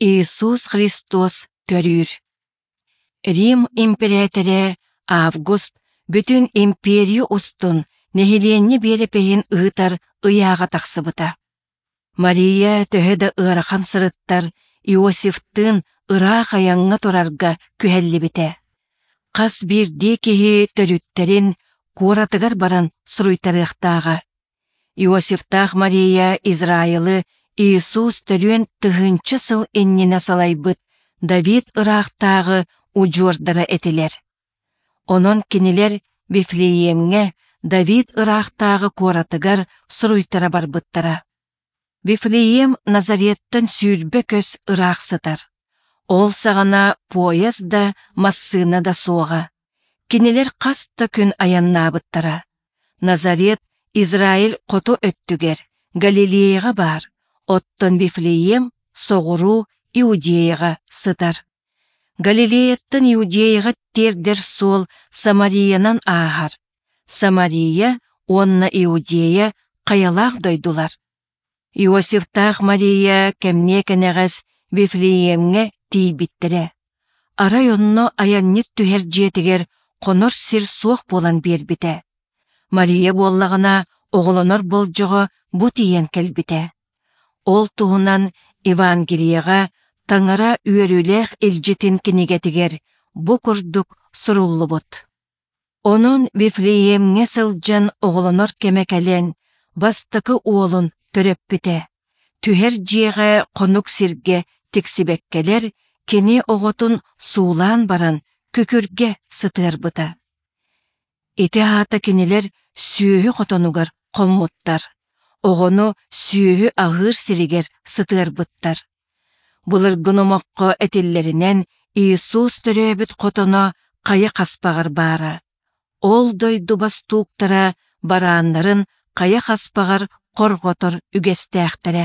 Иисус Христос төрүүр. Рим импэрээтэрэ Август бүтүн империя устун нэһилиэнньэ биэрэпиһин ыытар ыйааҕа тахсыбыта. Мария төһө да ыарахан сырыттар, Иосифтыын ыраах айаҥҥа турарга күһэллибитэ. Хас биирдии киһи төрүттэрин куоратыгар баран суруйтарыахтааҕа. Иосифтаах Мария Израилы Иисус төрүөн тыһыынча сыл иннинэ салайбыт Давид ыраахтааҕы удьуордара этилэр. Онон кинилэр Вифлеемҥэ Давид ыраахтааҕы куоратыгар суруйтара барбыттара. Вифлеем Назареттан 20 көс ыраах сытар. Ол саҕана пуойас да, массыына да суоҕа. Кинилэр хас да күн айаннаабыттара. Назарет Израиль хоту өттүгэр, Галилеяҕа баар, оттон Вифлеем соҕуруу Иудеяҕа сытар. Галилеяттан Иудеяҕа тиэрдэр суол Самариянан ааһар. Самария уонна Иудея хайалаах дойдулар. Иосифтаах Мария кэмниэ кэнэҕэс Вифлеемҥэ тиийбиттэрэ. Арай онно айанньыт түһэр дьиэтигэр хонор сир суох буолан биэрбитэ. Мария буоллаҕына оҕолонор болдьоҕо бу тиийэн кэлбитэ. Ол туһунан Евангелиеҕа Таҥара үөрүүлээх илдьитин кинигэтигэр бу курдук суруллубут. Онон Вифлеемҥэ сылдьан оҕолонор кэмэ кэлэн, бастакы уолун төрөппүтэ. Түһэр дьиэҕэ хонук сиргэ тиксибэккэлэр, кини оҕотун суулаан баран күкүргэ сытыарбыта. Ити аата кинилэр сүөһү хотонугар хоммуттар, оҕону сүөһү аһыыр сиригэр сытыарбыттар. Былыргы номоххо этиллэринэн, Иисус төрөөбүт хотоно хайа хаспаҕар баара. Ол дойду бостууктара барааннарын хайа хаспаҕар хорҕотор үгэстээхтэрэ.